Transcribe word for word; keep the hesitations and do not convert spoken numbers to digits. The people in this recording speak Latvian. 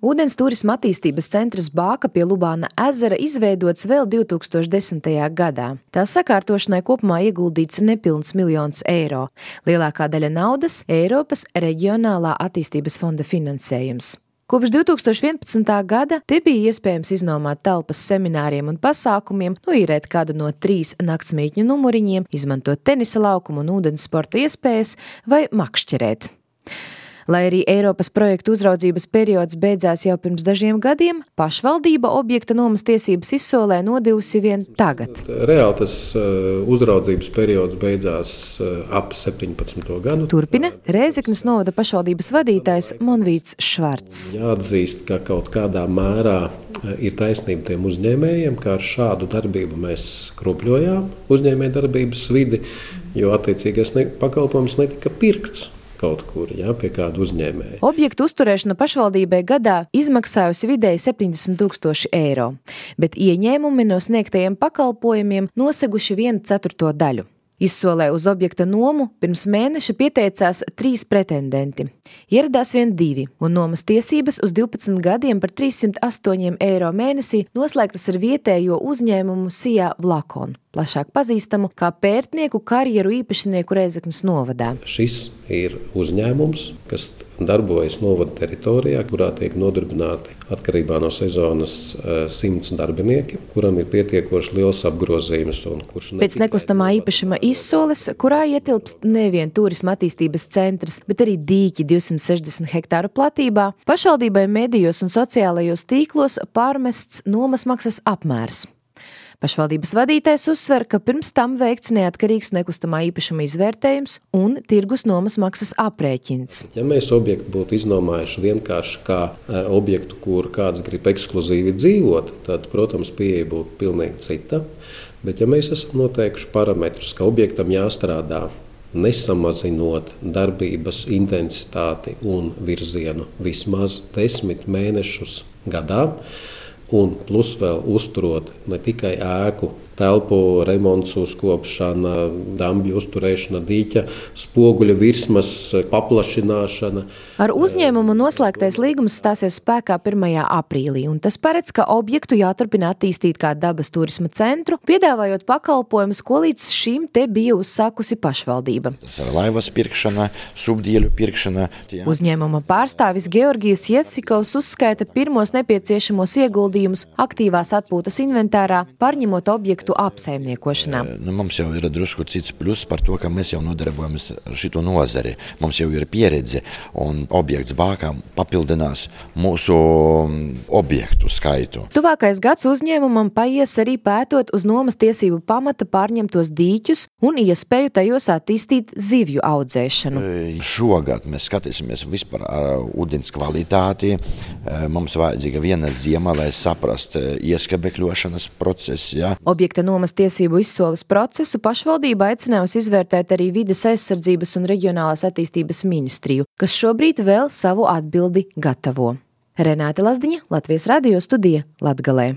Ūdens turisma attīstības centrs Bāka pie Lubāna ezera izveidots vēl divi tūkstoši desmitajā gadā. Tā sakārtošanai kopumā ieguldīts nepilns miljons eiro. Lielākā daļa naudas – Eiropas reģionālā attīstības fonda finansējums. Kopš divi tūkstoši vienpadsmitā gada te bija iespējams iznomāt telpas semināriem un pasākumiem, noīrēt kādu no trīs naktsmītņu numuriņiem, izmantot tenisa laukumu un ūdens sporta iespējas vai makšķerēt. Lai arī Eiropas projektu uzraudzības periods beidzās jau pirms dažiem gadiem, pašvaldība objekta nomas tiesības izsolē nodevusi vien tagad. Reāli tas uzraudzības periods beidzās ap septiņpadsmito gadu. Turpina Rēzeknes novada pašvaldības vadītājs Monvīts Švarcs. Jāatzīst, ka kaut kādā mērā ir taisnība tiem uzņēmējiem, kā ar šādu darbību mēs kropļojām uzņēmēju darbības vidi, jo attiecīgais pakalpojums netika pirkts kaut kur, jā, pie kāda uzņēmēja. Objektu uzturēšana pašvaldībai gadā izmaksājusi vidēji septiņdesmit tūkstoši eiro, bet ieņēmumi no sniegtajiem pakalpojumiem noseguši vienu ceturto daļu. Izsolē uz objekta nomu pirms mēneša pieteicās trīs pretendenti. Ieradās vien divi, un nomas tiesības uz divpadsmit gadiem par trīssimt astoņiem eiro mēnesī noslēgtas ar vietējo uzņēmumu Sijā Vlakon, plašāk pazīstamu kā pērtnieku karjeru īpašnieku Rēzeknes novadā. Šis ir uzņēmums, kas darbojas novada teritorijā, kurā tiek nodarbināti atkarībā no sezonas simts darbinieki, kuram ir pietiekoši liels apgrozījums. Un kurš Pēc nekustamā īpašuma izsoles, kurā ietilpst nevien turisma attīstības centrs, bet arī dīķi divsimt sešdesmit hektāru platībā, pašvaldībai medijos un sociālajos tīklos pārmests nomas maksas apmērs. Pašvaldības vadītājs uzsver, ka pirms tam veikts neatkarīgs nekustamā īpašuma izvērtējums un tirgus nomas maksas aprēķins. Ja mēs objektu būtu iznomājuši vienkārši kā objektu, kur kāds grib ekskluzīvi dzīvot, tad, protams, pieeja būtu pilnīgi cita. Bet ja mēs esam noteikuši parametrus, ka objektam jāstrādā nesamazinot darbības intensitāti un virzienu vismaz desmit mēnešus gadā, un plus vēl uzturot ne tikai ēku, telpu remonts, uzkopšana, dambju uzturēšana, dīķa, spoguļa virsmas paplašināšana. Ar uzņēmumu noslēgtais līgums stāsies spēkā pirmajā aprīlī, un tas paredz, ka objektu jāturpina attīstīt kā dabas turisma centru, piedāvājot pakalpojumus, ko līdz šim te bija uzsākusi pašvaldība. Laivas pirkšana, subdieļu pirkšana. Uzņēmuma pārstāvis Georgijs Jevsikovs uzskaita pirmos nepieciešamos ieguldījumus aktīvās atpūtas inventārā, pārņemot objektu apsaimniekošanā. Nu, mums jau ir drusku cits plus par to, ka mēs jau nodarbojamies ar šito nozari. Mums jau ir pieredze, un objekts Bākā papildinās mūsu objektu skaitu. Tuvākais gads uzņēmumam paies arī pētot uz nomas tiesību pamata pārņemtos dīķus un iespēju tajos attīstīt zivju audzēšanu. Šogad mēs skatīsimies vispār ar ūdens kvalitāti. Mums vajadzīga viena ziema, lai saprast ieskabekļošanas procesu. Ja? Objekta nomas tiesību izsoles procesu pašvaldība aicinājusi izvērtēt arī vides aizsardzības un reģionālās attīstības ministriju, kas šobrīd vēl savu atbildi gatavo. Renāte Lazdiņa, Latvijas radio studija, Latgalē.